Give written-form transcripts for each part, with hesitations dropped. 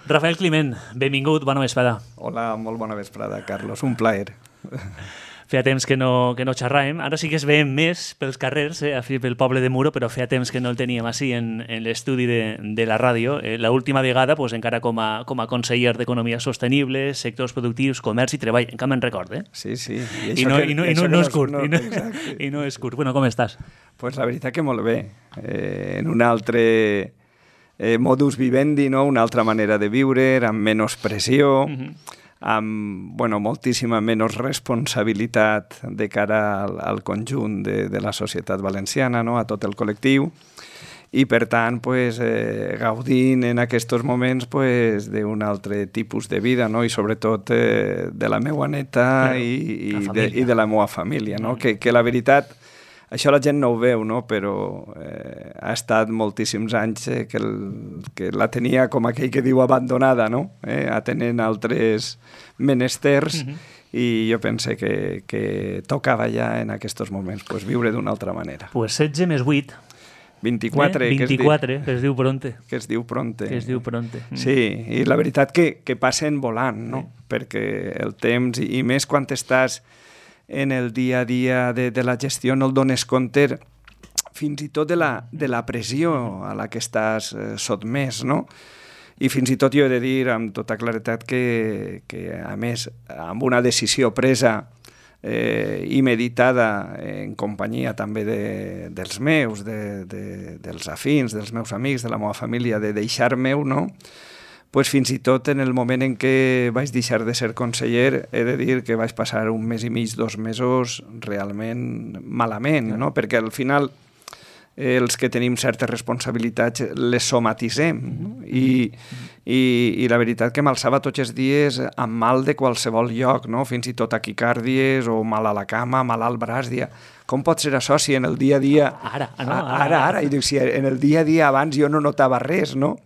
Rafael Climent, benvingut, bona vesprada. Hola, molt bona vesprada, Carlos, un plaer. Feia temps que no xerràvem, ara sí que es veiem més pels carrers, pel poble de Muro, però feia temps que no el teníem així en l'estudi de la ràdio. L'última vegada, encara com a conseller d'Economia Sostenible, sectors productius, comerç i treball, encara me'n record, Sí, sí. I no és curt. I no és curt. Bueno, com estàs? Pues la veritat que molt bé. En un altre modus vivendi, no? Una altra manera de viure, amb menys pressió, amb moltíssima menys responsabilitat de cara al conjunt de la societat valenciana, no? A tot el col·lectiu, i per tant gaudint en aquests moments d'un altre tipus de vida, no? I sobretot de la meva neta i de la meva família, no? Que la veritat, això la gent no ho veu, no? Però ha estat moltíssims anys que la tenia, com aquell que diu, abandonada, no? Atenent altres menesters, i jo pense que tocava ja en aquests moments viure d'una altra manera. Pues 16 més 8. 24, 24, que es diu pronte. Que es diu pronte. Que es diu pronte. Sí, i la veritat que passen volant, no? Perquè el temps, i més quan estàs en el dia a dia de la gestió, no el dones compte fins i tot de la pressió a la que estàs sotmès, no? I fins i tot jo he de dir amb tota claretat que a més, amb una decisió presa i meditada en companyia també dels meus, dels afins, dels meus amics, de la meva família, de deixar-me-ho, no? Pues fins i tot en el moment en què vaig deixar de ser conseller, he de dir que vaig passar un mes i mig, 2 mesos realment malament, no? Perquè al final els que tenim certes responsabilitats les somatitzem, no? I la veritat que m'alçava tots els dies amb mal de qualsevol lloc, no? Fins i tot taquicàrdies o mal a la cama, mal al braç, com pot ser això si en el dia a dia... Ara. I dic, si en el dia a dia abans jo no notava res, no?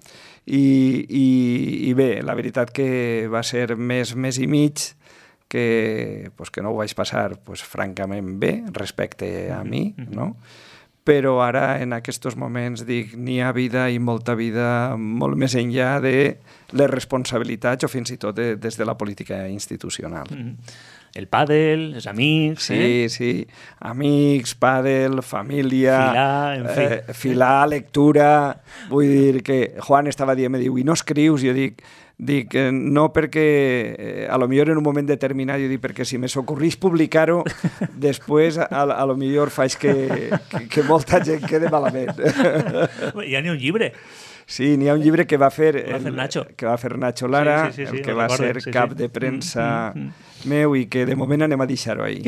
I bé, la veritat que va ser mes i mig que no ho vaig passar francament bé respecte a mi, no? Però ara en aquests moments dic, n'hi ha vida i molta vida molt més enllà de les responsabilitats o fins i tot des de la política institucional. El pàdel, els amics... Sí, amics, pàdel, família... Filar, en fi. Filar, lectura... Vull dir que Juan estava dient, me diu, i no escrius? Jo dic no perquè a lo millor en un moment determinat, jo dic perquè si me s'ocorrís publicar-ho, després a lo millor faig que molta gent quede malament. Hi ha ni un llibre. Sí, n'hi ha un llibre que va fer Nacho Lara, el que va ser cap de premsa meu, i que de moment anem a deixar-ho ahí.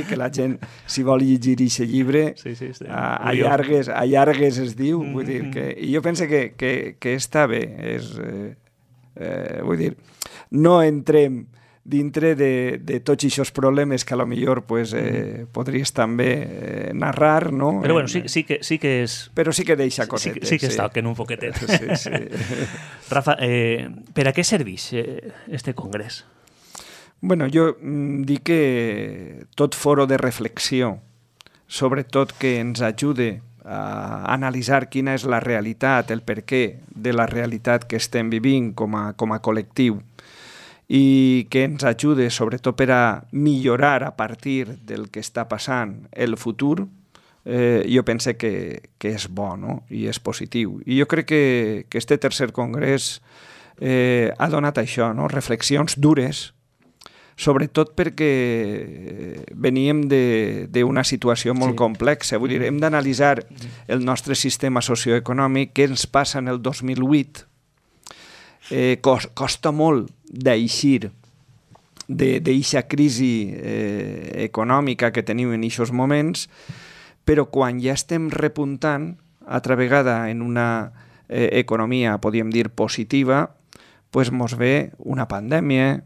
Que la gent, si vol llegir aquest llibre, allargues es diu, vull dir que... I jo penso que està bé, vull dir, no entrem dintre de tots aquests problemes que a lo millor podries també narrar, no? Però bueno, sí que és... Però sí que deixa cosetes. Sí que es toquen un poquetet. Sí. Rafa, per a què serveix este congrés? Bueno, jo dic que tot foro de reflexió, sobretot que ens ajude a analitzar quina és la realitat, el perquè de la realitat que estem vivint com a col·lectiu, i que ens ajude sobretot per a millorar a partir del que està passant el futur, jo penso que és bo, no? I és positiu. I jo crec que este tercer congrés ha donat això, no? Reflexions dures, sobretot perquè veníem d'una situació molt complexa. Vull dir, hem d'analitzar el nostre sistema socioeconòmic, què ens passa en el 2008. Costa molt d'eixir d'eixa crisi econòmica que tenim en aquests moments, però quan ja estem repuntant, altra vegada en una economia, podríem dir, positiva, mos ve una pandèmia,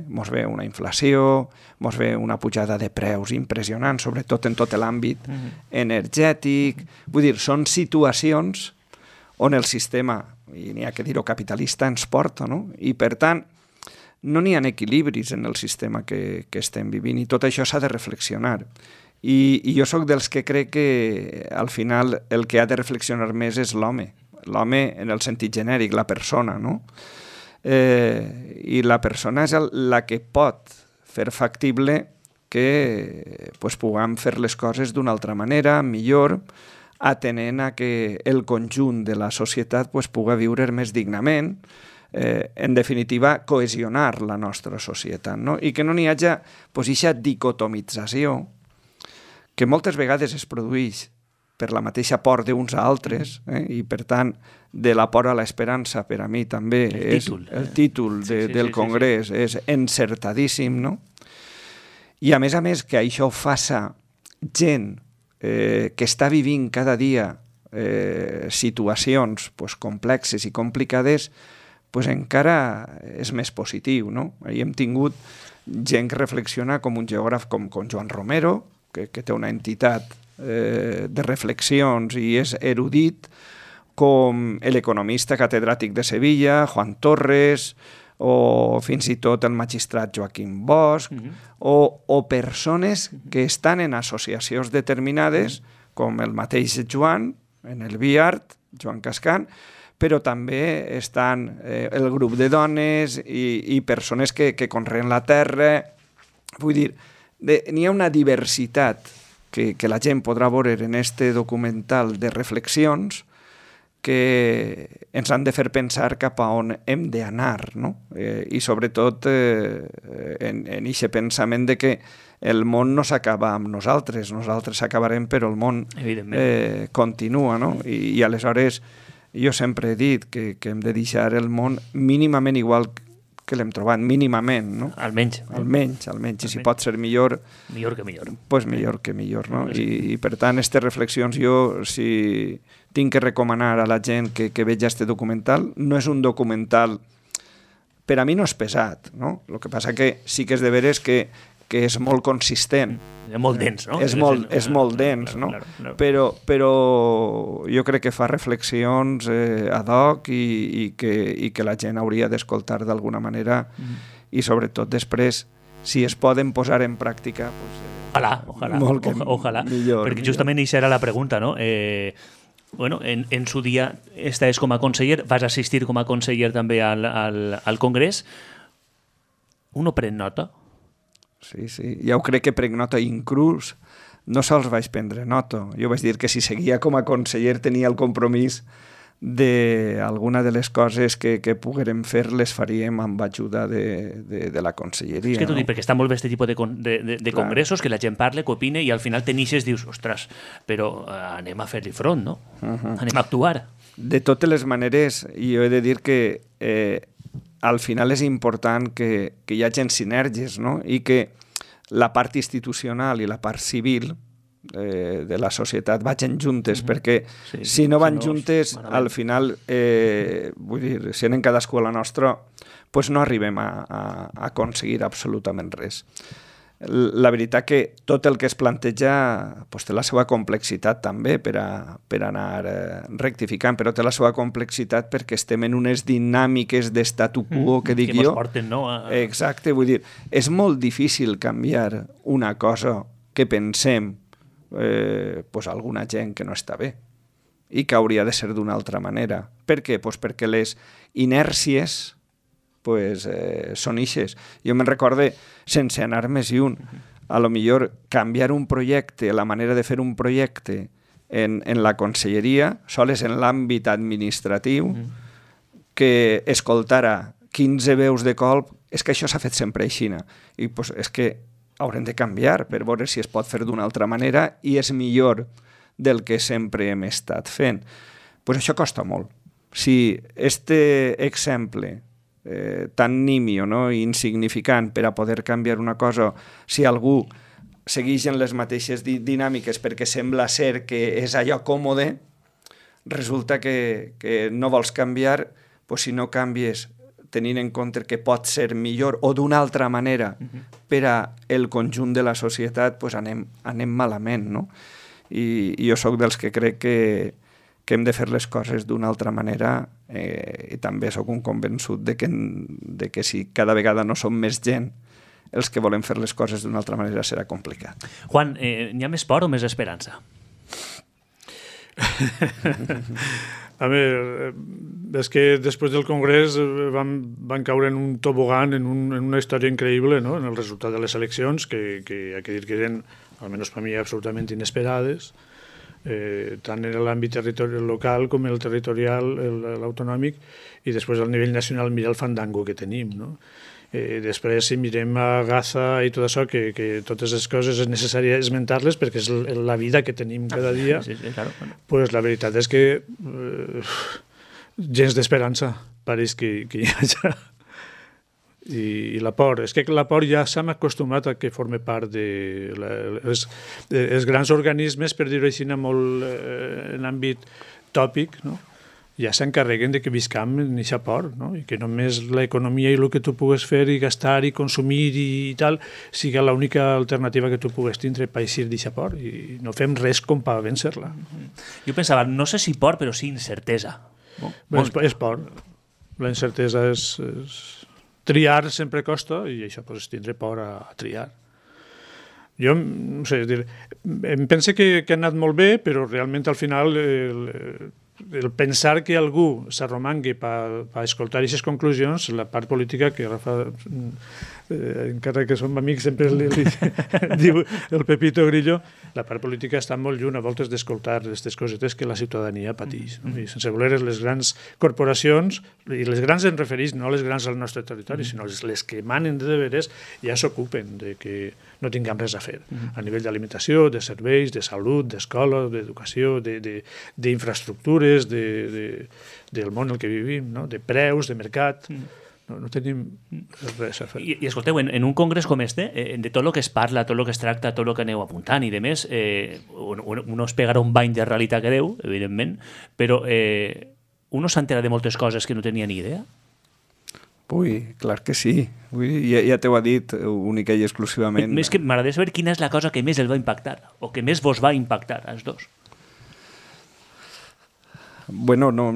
mos ve una inflació, mos ve una pujada de preus impressionant, sobretot en tot l'àmbit energètic. Vull dir, són situacions on el sistema, i n'hi ha que dir-ho, capitalista, ens porta, no? I per tant, no n'hi ha equilibris en el sistema que estem vivint, i tot això s'ha de reflexionar. I jo sóc dels que crec que al final el que ha de reflexionar més és l'home. l'home en el sentit genèric, la persona, no? I la persona és la que pot fer factible que puguem fer les coses d'una altra manera, millor, atenent a que el conjunt de la societat pugui viure més dignament, en definitiva, cohesionar la nostra societat, no? I que no n'hi hagi aquesta dicotomització que moltes vegades es produeix per la mateixa por d'uns a altres, i per tant, de la por a l'esperança, per a mi també el títol del Congrés és encertadíssim, no? I a més, que això ho faça gent que està vivint cada dia situacions complexes i complicades, encara és més positiu, no? Ahir hem tingut gent que reflexiona com un geògraf com Joan Romero, que té una entitat de reflexions i és erudit, com l'economista catedràtic de Sevilla, Juan Torres, o fins i tot el magistrat Joaquim Bosch, o persones que estan en associacions determinades, com el mateix Joan, en el BIART, Joan Cascan, però també estan el grup de dones i persones que conreen la terra. Vull dir, n'hi ha una diversitat que la gent podrà veure en este documental de reflexions que ens han de fer pensar cap a on hem d'anar, no? I sobretot en aquest pensament de que el món no s'acaba amb nosaltres acabarem, però el món continua, no? I aleshores jo sempre he dit que hem de deixar el món mínimament igual que l'hem trobat, mínimament, no? Almenys. I si pot ser millor... Millor que millor. Doncs millor que millor, no? I per tant, aquestes reflexions jo, si tinc que recomanar a la gent que vegi este documental, no és un documental... Per a mi no és pesat, no? El que passa que sí que és de veres que és molt consistent. És molt dens, no? És molt dens, no? Però jo crec que fa reflexions ad hoc i que la gent hauria d'escoltar d'alguna manera i sobretot després, si es poden posar en pràctica... Ojalà. Perquè justament això era la pregunta, no? Bueno, en su dia estaves com a conseller, vas assistir com a conseller també al Congrés. Uno pren nota? Sí, ja ho crec que prenc nota, inclús no sols vaig prendre nota. Jo vaig dir que si seguia com a conseller tenia el compromís d'alguna de les coses que poguérem fer les faríem amb ajuda de la conselleria. És que t'ho dic, perquè està molt bé aquest tipus de congressos, que la gent parla, que opina, i al final tenixes, dius, ostres, però anem a fer-li front, no? Anem a actuar. De totes les maneres, jo he de dir que al final és important que hi hagi sinergies, no? I que la part institucional i la part civil de la societat vagin juntes, perquè si no van juntes, al final, vull dir, si anem cadascú a la nostra, doncs no arribem a aconseguir absolutament res. La veritat que tot el que es planteja té la seva complexitat també per anar rectificant, però té la seva complexitat perquè estem en unes dinàmiques d'estatu quo que dic jo. Exacte, vull dir, és molt difícil canviar una cosa que pensem alguna gent que no està bé i que hauria de ser d'una altra manera. Per què? Perquè les inèrcies són ixes. Jo me'n recorde, sense anar més lluny, a lo millor canviar un projecte, la manera de fer un projecte en la conselleria, sols en l'àmbit administratiu, que escoltara 15 veus de colp, és que això s'ha fet sempre així. I és que haurem de canviar per veure si es pot fer d'una altra manera i és millor del que sempre hem estat fent. Això costa molt. Si este exemple tan nimio, insignificant per a poder canviar una cosa, si algú segueix en les mateixes dinàmiques perquè sembla ser que és allò còmode, resulta que no vols canviar, si no canvies tenint en compte que pot ser millor o d'una altra manera per a el conjunt de la societat, anem malament, no? I jo sóc dels que crec que hem de fer les coses d'una altra manera i també sóc un convençut de que si cada vegada no som més gent els que volem fer les coses d'una altra manera serà complicat. Juan, n'hi ha més por o més esperança? A veure, és que després del Congrés van caure en un tobogan, en una història increïble, no? En el resultat de les eleccions, que hay que dir que eren, almenys per mi, absolutament inesperades, tant en l'àmbit territorial local com el territorial, l'autonòmic, i després al nivell nacional mirar el fandango que tenim, no? Després, si mirem a Gaza i tot això, que totes les coses és necessari esmentar-les perquè és la vida que tenim cada dia, claro. Pues la veritat és que gens d'esperança pareix que hi hagi. I la por, és que la por ja s'ha acostumat a que forme part de els grans organismes, per dir-ho així, molt en àmbit tòpic, no? Ja s'encarreguen de que viscam en aquesta por, no? I que només l'economia i el que tu pugues fer i gastar i consumir i tal siga l'única alternativa que tu pugues tindre per eixir d'aquesta por, i no fem res com per vèncer-la. Jo pensava, no sé si por, però sí incertesa. És por. La incertesa és... Triar sempre costa i això és tindre por a triar. Jo, no sé, em pense que ha anat molt bé, però realment al final el pensar que algú s'arromangui per escoltar aquestes conclusions, la part política que Rafa, encara que som amics, sempre li diu el Pepito Grillo, la part política està molt lluny a voltes d'escoltar aquestes cosetes que la ciutadania pateix. No? I sense voler les grans corporacions, i les grans en refereix no les grans al nostre territori, sinó les que manen de veres ja s'ocupen de que no tinguem res a fer. A nivell d'alimentació, de serveis, de salut, d'escola, d'educació, d'infraestructures, del món en què vivim, no? De preus, de mercat... No tenim res a fer. I escolteu, en un congrés com este, de tot el que es parla, tot el que es tracta, tot el que aneu apuntant i demés, uno es pegarà un bany de realitat que deu, evidentment, però uno s'entera de moltes coses que no tenia ni idea? Ui, clar que sí. Ja t'ho ha dit única i exclusivament. Més que m'agradaria saber quina és la cosa que més el va impactar, o que més vos va impactar, als dos. Bueno, no,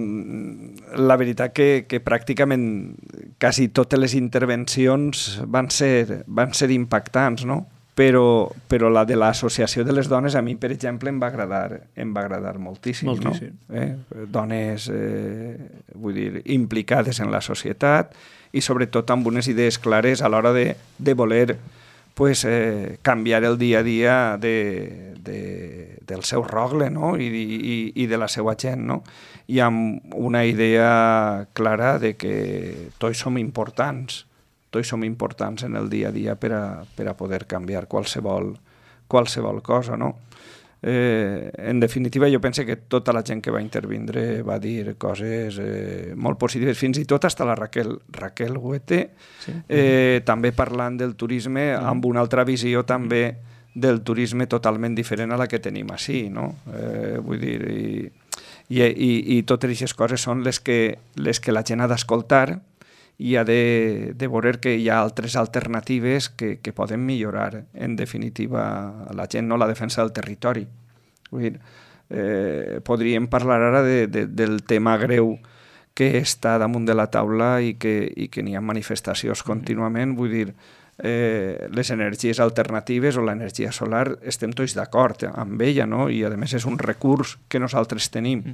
la veritat que pràcticament quasi totes les intervencions van ser impactants, no? Però la de l'associació de les dones a mi, per exemple, em va agradar moltíssim. Moltíssim. No? Dones, vull dir, implicades en la societat i sobretot amb unes idees clares a l'hora de voler pues, canviar el dia a dia del seu rogle, no? I de la seva gent, no? I amb una idea clara de que tots som importants en el dia a dia per a poder canviar qualsevol cosa, no? En definitiva, jo penso que tota la gent que va intervindre va dir coses molt positives, fins i tot hasta la Raquel Huete, sí. També parlant del turisme amb una altra visió també del turisme totalment diferent a la que tenim així, no? Vull dir, i totes aquestes coses són les que la gent ha d'escoltar i ha de veure que hi ha altres alternatives que poden millorar, en definitiva, la gent, no? La defensa del territori. Vull dir, podríem parlar ara del tema greu que està damunt de la taula i que n'hi ha manifestacions contínuament. Vull dir, les energies alternatives o l'energia solar estem tots d'acord amb ella, no? I a més és un recurs que nosaltres tenim,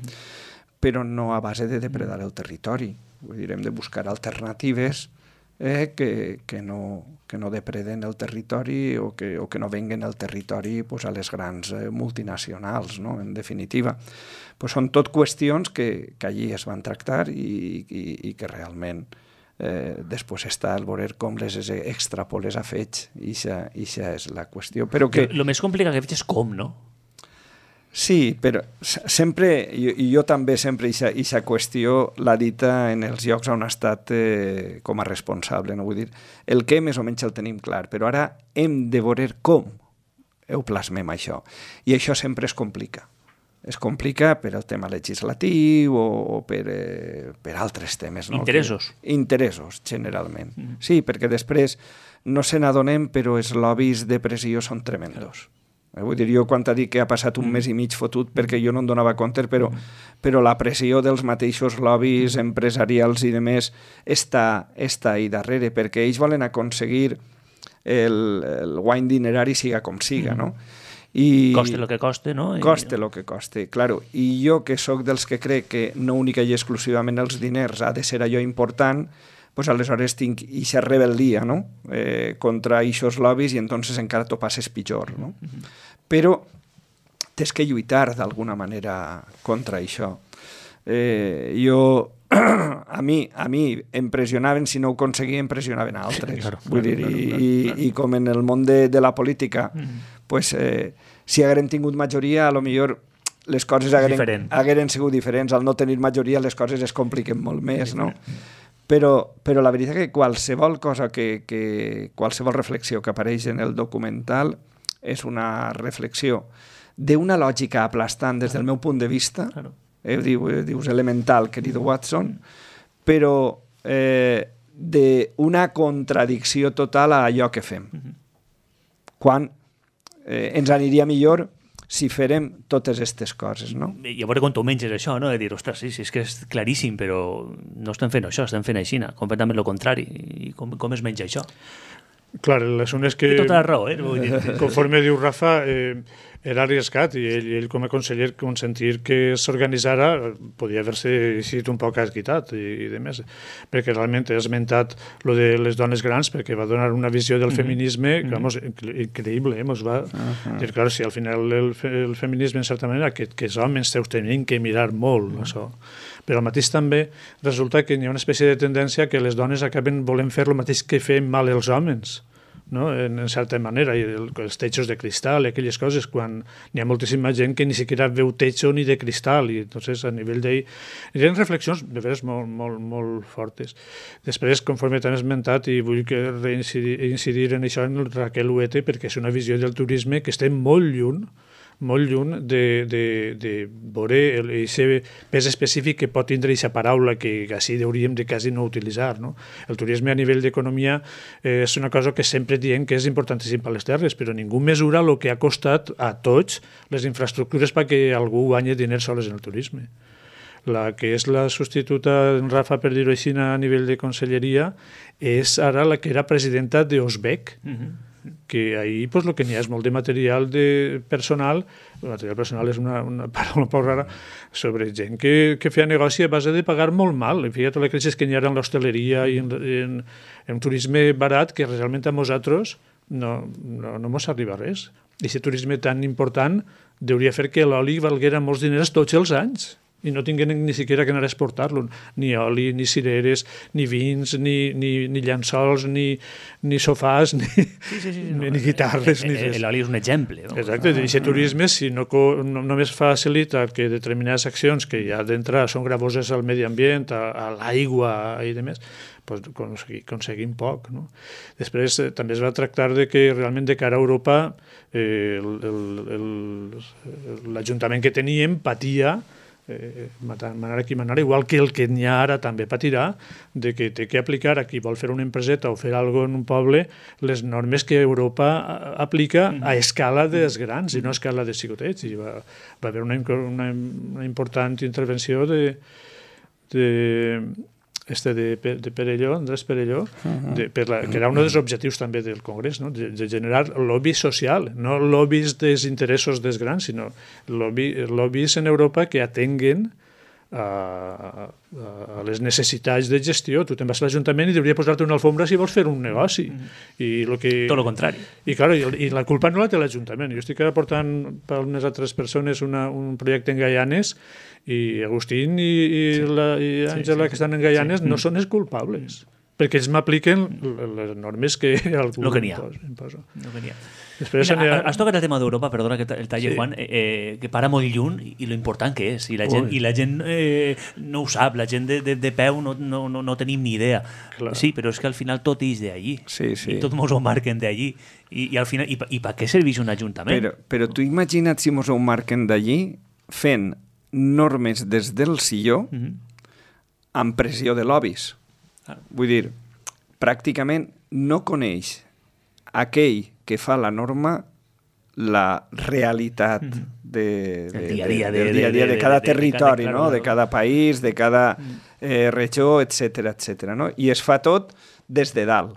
però no a base de depredar el territori. Vull dir, hem de buscar alternatives que no depreden el territori o que no venguen el territori pues, a les grans multinacionals, no? En definitiva. Pues són tot qüestions que allí es van tractar i que realment després està al veure com les extrapoles a fets i això és la qüestió. Però que... El més complicat que veig és com, no? Sí, però sempre, i jo també sempre aquesta qüestió l'ha dita en els llocs on ha estat com a responsable, no? Vull dir, el què més o menys el tenim clar, però ara hem de veure com ho plasmem això. I això sempre es complica. Es complica per el tema legislatiu o per altres temes. No? Interessos. Interessos, generalment. Sí, perquè després no se n'adonem, però els lobbies de pressió són tremendos. Vull dir, jo quan t'ha dit que ha passat un mes i mig fotut perquè jo no em donava compte, però la pressió dels mateixos lobbies empresarials i demés està ahí darrere, perquè ells volen aconseguir el guany dinerari siga com siga, no? I coste lo que coste, no? Coste lo que coste, claro. I jo, que sóc dels que crec que no única i exclusivament els diners ha de ser allò important, pues aleshores tinc ixa rebel·lia, no? Contra eixos lobbies i entonces encara t'ho passes pitjor, no? Però tens que lluitar d'alguna manera contra això. A mi em pressionaven, si no ho aconseguia, em pressionaven altres. Vull dir, i com en el món de la política, pues, si hagueren tingut majoria, a lo millor les coses hagueren sigut diferents. Al no tenir majoria, les coses es compliquen molt més, no? Però la veritat que qualsevol cosa, qualsevol reflexió que apareix en el documental és una reflexió d'una lògica aplastant des del meu punt de vista, dius elemental, querido Watson, però d'una contradicció total a allò que fem. Quan ens aniria millor si farem totes aquestes coses, no? I a veure quan tu menges això, no? De dir, ostres, sí, és que és claríssim, però no estem fent això, estem fent aixina, completament el contrari. I com es menja això? Clar, l'assumpte és que... Té tota la raó, Conforme diu Rafa, era arriscat i ell com a conseller consentir que s'organitzara podia haver-se sigut un poc esguitat i de més, perquè realment he esmentat lo de les dones grans perquè va donar una visió del feminisme increïble, ens va dir, clar, si al final el feminisme en certa manera que els homes tenim que mirar molt això, però al mateix també resulta que hi ha una espècie de tendència que les dones acaben volent fer el mateix que fem mal els homes, no? En certa manera, i els techos de cristal i aquelles coses, quan hi ha moltíssima gent que ni siquiera veu techo ni de cristal, i entonces a nivell d'ell hi ha reflexions de veres molt fortes. Després, conforme t'han esmentat, i vull que incidir en això en el Raquel Huete, perquè és una visió del turisme que estem molt lluny de veure aquest pes específic que pot tindre aquesta paraula que així hauríem de quasi no utilitzar, no? El turisme a nivell d'economia és una cosa que sempre diem que és importantíssim per les terres, però ningú mesura el que ha costat a tots les infraestructures perquè algú guanyi diners sols en el turisme. La que és la substituta en Rafa, per dir-ho així, a nivell de conselleria, és ara la que era presidenta d'Osbec, que ahir pues, el que n'hi ha és molt de material personal. El material personal és una paraula poc rara, sobre gent que feia negoci a base de pagar molt mal. Fíjate la crisi que n'hi ha en l'hostaleria i en turisme barat, que realment a nosaltres no mos arriba res. I aquest turisme tan important hauria fer que l'oli valguera molts diners tots els anys i no tinguin ni siquiera que anar a exportar-lo. Ni oli, ni cireres, ni vins, ni llençols, ni sofàs, ni guitarres, ni res. L'oli és un exemple. Exacte, i aquest turisme, si no només facilita que determinades accions que ja d'entrada són gravoses al medi ambient, a l'aigua i demés, pues, aconseguim poc, no? Després també es va tractar de que realment de cara a Europa l'Ajuntament que teníem patia manar aquí manar, igual que el que n'hi ha ara també patirà, de que té que aplicar a qui vol fer una empreseta o fer alguna cosa en un poble les normes que Europa aplica a escala dels grans i no a escala de xicotets. I va haver una important intervenció de Perelló, Andrés Perelló, que era un dels objectius també del Congrés, no? De generar lobby social, no lobbies dels interessos dels grans, sinó lobbies en Europa que atenguen a les necessitats de gestió. Tu te'n vas a l'Ajuntament i hauria posar-te una alfombra si vols fer un negoci. Tot el contrari. I la culpa no la té l'Ajuntament. Jo estic aportant per unes altres persones un projecte en Gaianes i Agustín i Àngela que estan en Gaianes no són els culpables, perquè ells m'apliquen les normes que algú imposa. Després, has tocat el tema d'Europa, perdona que el talle, Juan, que para molt lluny i lo important que és, i la gent no ho sap, la gent de peu no tenim ni idea. Sí, però és que al final tot és d'allí, i tot mos ho marquen d'allí, i al final, i per què serveix un ajuntament? Però tu imagina't si mos ho marquen d'allí fent normes des del silló amb pressió de lobbies. Vull dir, pràcticament no coneix aquell que fa la norma la realitat del dia a dia de cada territori, de cada país, de cada regió, etc. No? I es fa tot des de dalt.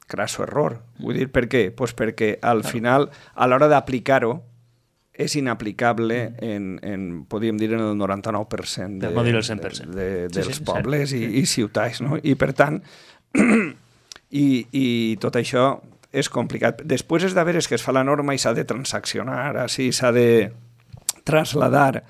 Crasso error. Vull dir, per què? Pues perquè al final, a l'hora d'aplicar-ho, és inaplicable podríem dir, en el 99% Per no dir el 100%. dels pobles i ciutats, no? I per tant, i tot això és complicat. Després és de veure que es fa la norma i s'ha de transaccionar, així s'ha de trasladar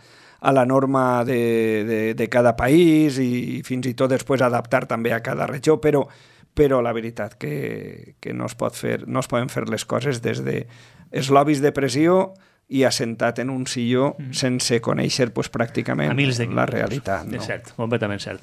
a la norma de cada país i fins i tot després adaptar també a cada regió, però la veritat que no es poden fer les coses des de els lobbies de pressió i assentat en un silló sense conèixer pràcticament la realitat. És cert, completament cert.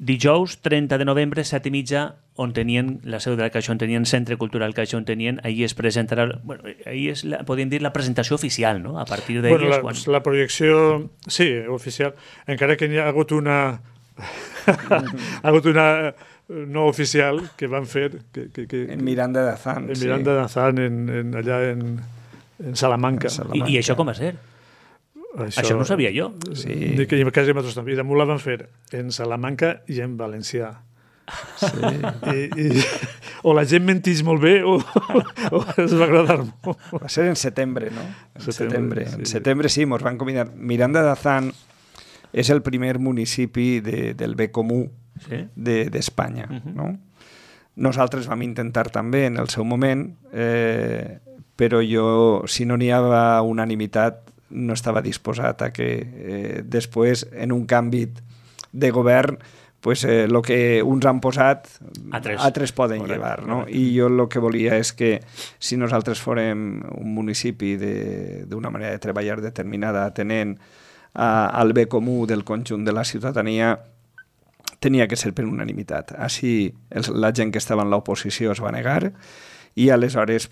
Dijous, 30 de novembre, 7:30, on tenien la seu de la Caixa, on tenien Centre Cultural Caixa, on tenien, ahir es presentarà, ahir és, podríem dir, la presentació oficial, no? A partir d'ahir la projecció, sí, oficial, encara que hi ha hagut una no oficial que van fer en Miranda de Azán, en Miranda de Azán, allà en Salamanca. I això com va ser? Això no ho sabia jo. Sí. Que quasi nosaltres també. I damunt la van fer en Salamanca i en valencià. Sí. O la gent mentís molt bé o es va agradar molt. Va ser en setembre, no? En setembre sí, ens van convidar. Miranda de Azán és el primer municipi del bé comú d'Espanya, no? Nosaltres vam intentar també en el seu moment, però jo, si no n'hi havia unanimitat, no estava disposat a que després, en un canvi de govern, el que uns han posat, altres poden llevar. No? I jo el que volia és que si nosaltres fórem un municipi d'una manera de treballar determinada, atenent al bé comú del conjunt de la ciutadania, tenia que ser per unanimitat. Així la gent que estava en l'oposició es va negar i aleshores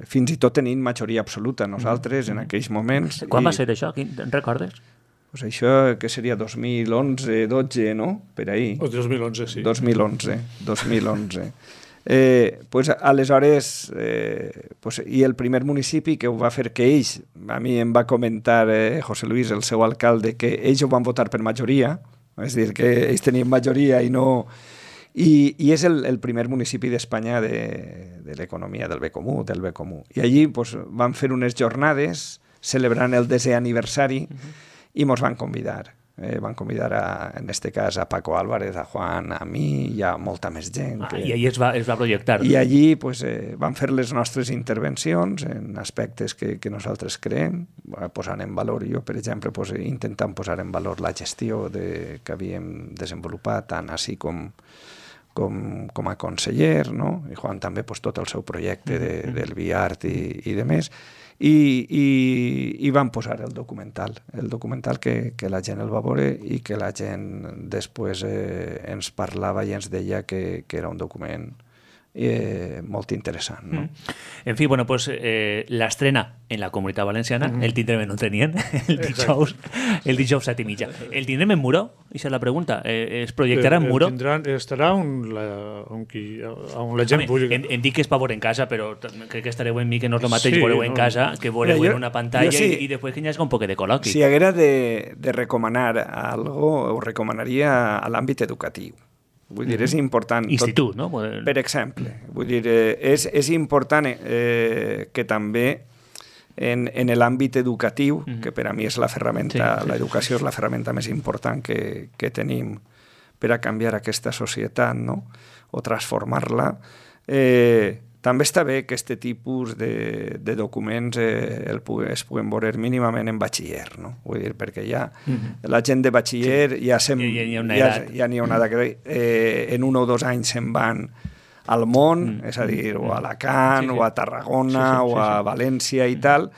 fins i tot tenint majoria absoluta nosaltres en aquells moments. Quan va ser això? Te'n recordes? Això que seria 2011, 12, no? Per ahí. O 2011, sí. 2011. Aleshores, i el primer municipi que ho va fer que ells, a mi em va comentar José Luis, el seu alcalde, que ells ho van votar per majoria, és a dir, que ells tenien majoria i no... I és el primer municipi d'Espanya de l'economia del bé comú, I allí van fer unes jornades celebrant el 10è aniversari i ens van convidar. Van convidar, en aquest cas, a Paco Álvarez, a Juan, a mi i a molta més gent. I allí es va projectar. I allí van fer les nostres intervencions en aspectes que nosaltres creem, posant en valor, jo, per exemple, intentant posar en valor la gestió que havíem desenvolupat, tant així com a conseller, no? I Juan també tot el seu projecte del BIART i de més, i van posar el documental que la gent el va veure i que la gent després ens parlava i ens deia que era un document molt interessant. No? En fi, l'estrena en la Comunitat Valenciana, el tindrem en on tenien, el dijous 7:30. El tindrem en Muro? Això és la pregunta. Es projectarà en Muro? Estarà on la gent vulgui. Em dic que és per veure en casa, però crec que estareu en mi que no és el mateix veureu en casa que veureu en una pantalla i després que hi hagi un poc de col·loqui. Si haguera de recomanar algo, ho recomanaria a l'àmbit educatiu. Vull dir, és important... Institut, no? Per exemple. Vull dir, és important que també en l'àmbit educatiu, que per a mi és la ferramenta, l'educació és la ferramenta més important que tenim per a canviar aquesta societat, no? O transformar-la, també està bé que aquest tipus de documents es puguen veure mínimament en batxiller, no? Vull dir, perquè ja la gent de batxiller ja n'hi ha una edat que en 1 o 2 anys se'n van al món, és a dir, o a Alacant, o a Tarragona, o a València i tal,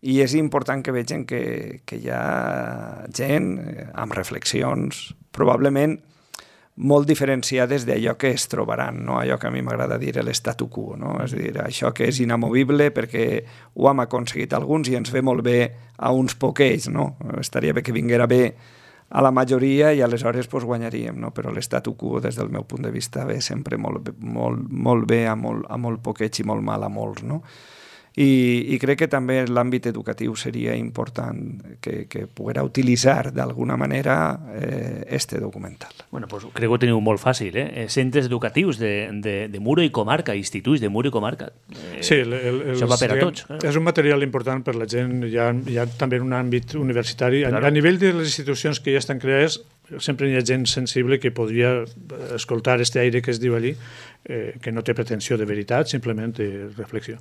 i és important que vegin que hi ha gent amb reflexions, probablement molt diferenciades d'allò que es trobaran, no? Allò que a mi m'agrada dir l'statu quo, no? És a dir, això que és inamovible perquè ho hem aconseguit alguns i ens ve molt bé a uns poquets, no? Estaria bé que vinguera bé a la majoria i aleshores guanyaríem, no? Però l'statu quo, des del meu punt de vista, ve sempre molt bé a molt poquets i molt mal a molts, no? I crec que també en l'àmbit educatiu seria important que poguera utilitzar d'alguna manera este documental. Bueno, pues crec que ho teniu molt fàcil, centres educatius de Muro i comarca, instituts de Muro i comarca. Sí, això va per a tots. És un material important per la gent, hi ha també un àmbit universitari. Claro. A nivell de les institucions que ja estan creades, sempre hi ha gent sensible que podria escoltar este aire que es diu allí, que no té pretensió de veritat, simplement de reflexió.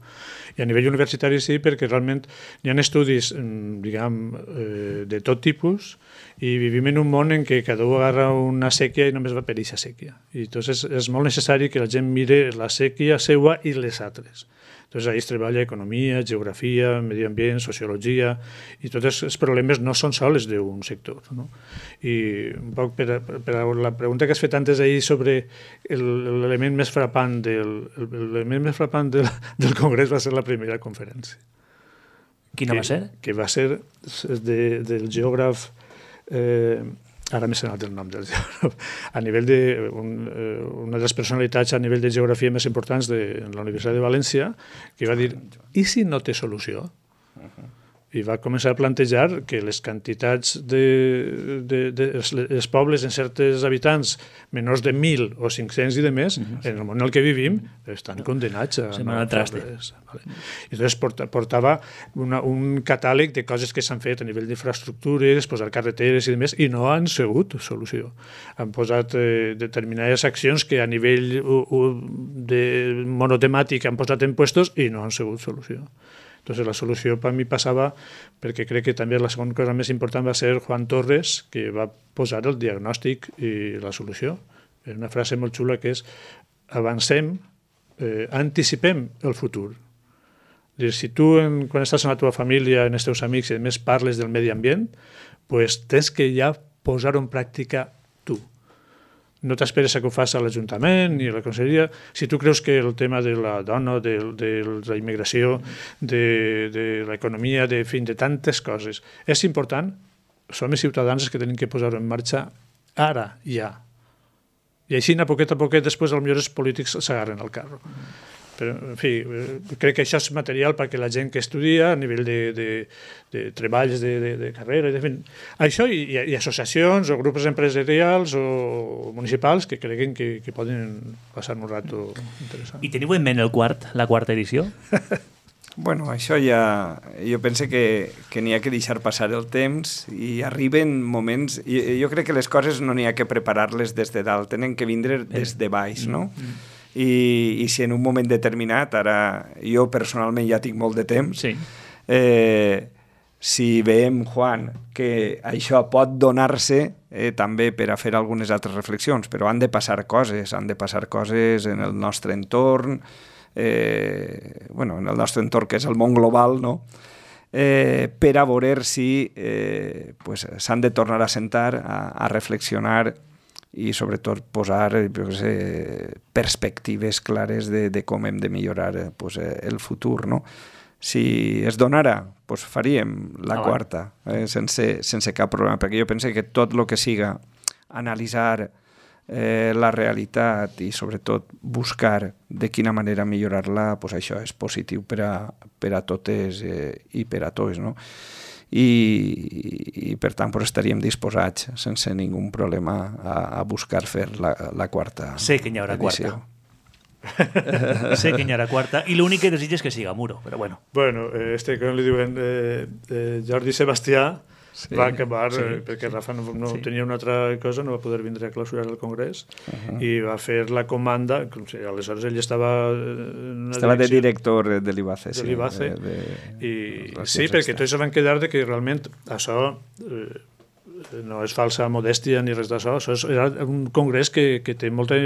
I a nivell universitari sí, perquè realment hi ha estudis, diguem, de tot tipus, i vivim en un món en què cada un agarra una sèquia i només va per eixa sèquia. I doncs és molt necessari que la gent mire la sèquia seua i les altres. Entonces, ahí es treballa economia, geografia, medi ambient, sociologia, i tots els problemes no són sols d'un sector. No? I un poc per a la pregunta que has fet antes ahir sobre l'element més frapant del Congrés va ser la primera conferència. Quina va ser? Que va ser del geògraf... ara m'he sonat el nom del geògraf, a nivell de una de les personalitats a nivell de geografia més importants de la Universitat de València, que va dir, i si no té solució? I va començar a plantejar que les quantitats dels pobles en certs habitants menors de 1.000 o 500 i de més, en el món en què vivim, estan condenats a... al traste. I llavors portava un catàleg de coses que s'han fet a nivell d'infraestructures, posar carreteres i demés, i no han sigut solució. Han posat determinades accions que a nivell monotemàtic han posat en puestos i no han sigut solució. Entonces, la solució per mi passava, perquè crec que també la segona cosa més important va ser Juan Torres, que va posar el diagnòstic i la solució. És una frase molt xula que és avancem, anticipem el futur. Si tu, quan estàs amb la teva família, amb els teus amics, i a més parles del medi ambient, pues tens que ja posar-ho en pràctica tu. No t'esperes que ho faci a l'Ajuntament ni a la Conselleria. Si tu creus que el tema de la dona, de la immigració, de l'economia, de tantes coses, és important, som els ciutadans que tenim que posar-ho en marxa ara, ja. I així, a poquet, després, potser els polítics s'agarren al carro. Però, en fi, crec que això és material perquè la gent que estudia a nivell de treballs de carrera, això i associacions o grups empresarials o municipals que creguin que poden passar un rato interessant. I teniu en ment la quarta edició? Bueno, això ja... Jo penso que n'hi ha que deixar passar el temps i arriben moments... Jo crec que les coses no n'hi ha que preparar-les des de dalt, tenen que vindre des de baix, no? I si en un moment determinat, ara jo personalment ja tinc molt de temps, sí. Si veiem, Juan, que això pot donar-se també per a fer algunes altres reflexions, però han de passar coses en el nostre entorn, en el nostre entorn que és el món global, no? Per a veure si s'han de tornar a sentar, a reflexionar i sobretot posar perspectives clares de com hem de millorar el futur, no? Si es donara, faríem la quarta, sense cap problema, perquè jo penso que tot el que siga analitzar la realitat i sobretot buscar de quina manera millorar-la, això és positiu per a totes i per a tots, no? I per tant estaríem disposats sense ningú problema a buscar fer la quarta edició. Sé que n'hi haurà quarta. Sé que n'hi haurà quarta i l'únic que desitja és que siga Muro, però bueno. Bueno, com li diuen, Jordi Sebastià va acabar, perquè Rafa no tenia una altra cosa, no va poder vindre a clausurar el Congrés i va fer la comanda, aleshores ell estava de director de l'IBACE. De l'IBACE, sí, perquè tots van quedar que realment això no és falsa modèstia ni res d'això, era un congrés que té molta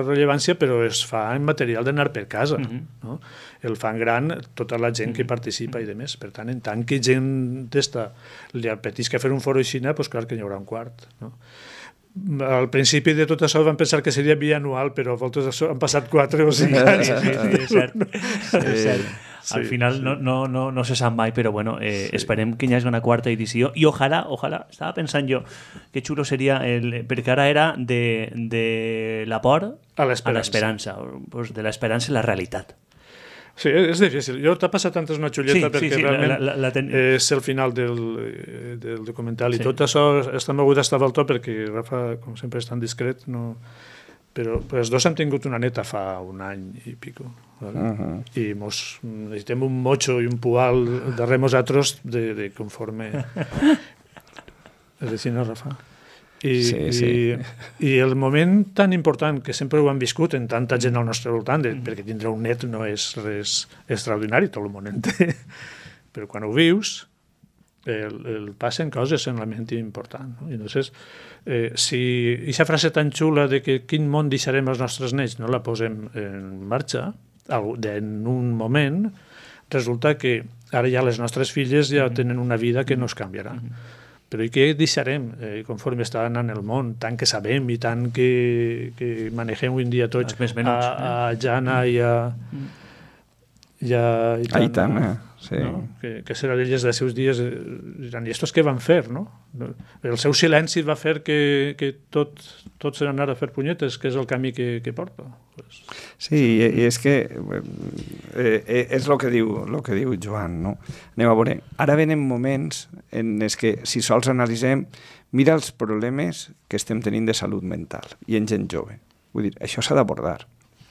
rellevància, però es fa en material d'anar per casa, no? El fan gran tota la gent que participa i demés. Per tant, en tant que gent d'esta li apetisca fer un foro així, doncs clar que n'hi haurà un quart, no? Al principi de tot això van pensar que seria bianual, però a voltes han passat 4 o 5 anys. Sí, és cert. Al final no se sap mai, però bueno, esperem que hi hagi una quarta edició i ojalà, estava pensant jo que xulo seria, perquè ara era de la por a l'esperança, de l'esperança a la realitat. Sí, és difícil. Jo t'ha passat antes una xulleta perquè realment és el final del documental i tot això està mogut estar al to perquè Rafa, com sempre, és tan discret, no... però els dos hem tingut una neta fa un any i pico, ¿vale? I necessitem un mocho i un pual darrere nosaltres de conforme... És així, no, Rafa? I el moment tan important que sempre ho han viscut en tanta gent al nostre voltant, perquè tindre un net no és res extraordinari, tot el món en té, però quan ho vius el passen coses en la ment important, no? I llavors, si aquesta frase tan xula de que quin món deixarem els nostres nets no la posem en marxa en un moment, resulta que ara ja les nostres filles ja tenen una vida que no es canviarà. Però i què deixarem conforme està anant el món, tant que sabem i tant que manegem avui en dia tots a Jana i a Aitana, sí. No? Que serà d'elles dels seus dies, diran, i estos què van fer, no? El seu silenci va fer que tot se n'anara a fer punyetes, que és el camí que porta. Sí, i és que és el que diu Joan, no? Anem a veure, ara venen moments en els que, si sols analitzem, mira els problemes que estem tenint de salut mental i en gent jove. Vull dir, això s'ha d'abordar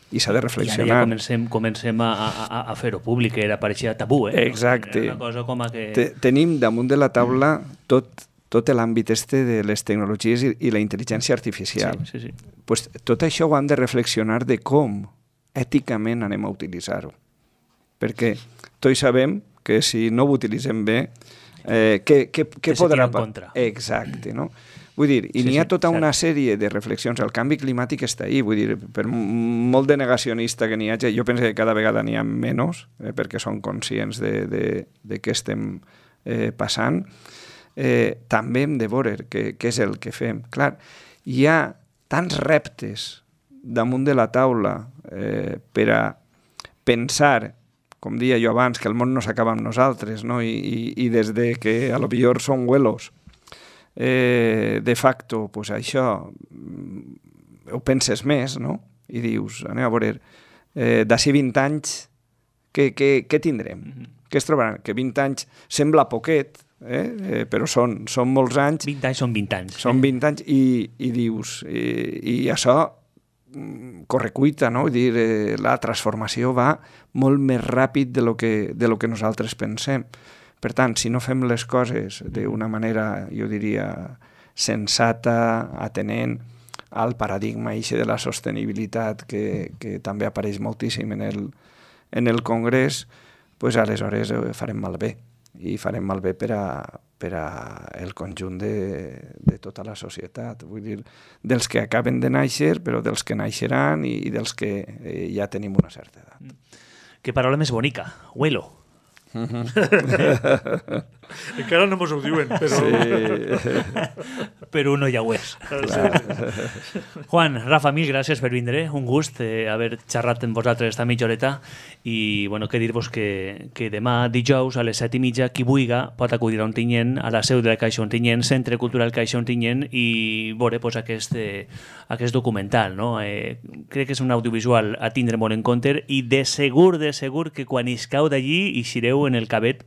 i s'ha de reflexionar. I ara ja comencem a fer-ho públic, que era pareixia tabú, Exacte. Era una cosa com a que... Tenim damunt de la taula tot l'àmbit de les tecnologies i la intel·ligència artificial. Sí. Pues, tot això ho hem de reflexionar de com èticament anem a utilitzar-ho. Perquè tots sabem que si no ho utilitzem bé, què podrà... Exacte, no? Vull dir, i n'hi ha tota una sèrie de reflexions. El canvi climàtic està ahí, vull dir, per molt de negacionista que n'hi hagi, jo penso que cada vegada n'hi ha menys, perquè són conscients de què estem passant. També hem de veure què és el que fem. Clar, hi ha tants reptes damunt de la taula per a pensar, com deia jo abans, que el món no s'acaba amb nosaltres, no? I des de que a lo millor són huelos, de facto, pues això ho penses més, no? I dius, anem a veure, d'ací 20 anys, què tindrem? Què es trobaran? Que 20 anys sembla poquet, però són molts anys. 20 anys són 20 anys. Són 20 anys i dius, i això corre cuita, no? Dir, la transformació va molt més ràpid de lo que nosaltres pensem. Per tant, si no fem les coses d'una manera, jo diria, sensata, atenent al paradigma de la sostenibilitat que també apareix moltíssim en el Congrés, pues aleshores farem malbé. I farem malbé per a el conjunt de tota la societat. Vull dir, dels que acaben de néixer, però dels que naixeran i dels que ja tenim una certa edat. Que paraula més bonica, huelo. Encara no mos ho diuen, però... Sí. Però uno ja ho és. Juan, Rafa, mil gràcies per vindre. Un gust haver xerrat amb vosaltres esta mitja horeta i bueno, que dir-vos que demà dijous a les 7:30 qui vulga pot acudir a Ontinyent, a la seu de la Caixa Ontinyent, Centre Cultural Caixa Ontinyent, i veure pues, aquest documental. No? Crec que és un audiovisual a tindre molt en compte i de segur que quan iscau d'allí eixireu en el cabet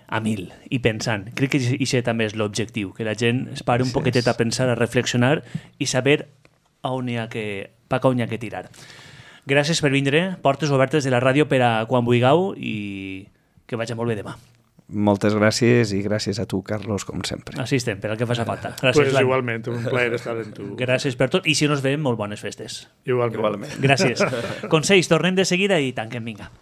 a 1000 i pensant. Crec que això també és l'objectiu, que la gent es pare un poquetet a pensar, a reflexionar i saber pa on hi ha que tirar. Gràcies per vindre, portes obertes de la ràdio per a quan vulgueu i que vagi molt bé demà. Moltes gràcies i gràcies a tu, Carlos, com sempre. Així estem, per al que faci falta. Gràcies, pues igualment, un plaer estar amb tu. Gràcies per tot i si no ens veiem, molt bones festes. Igualment. Gràcies. Consells, tornem de seguida i tanquem, vinga.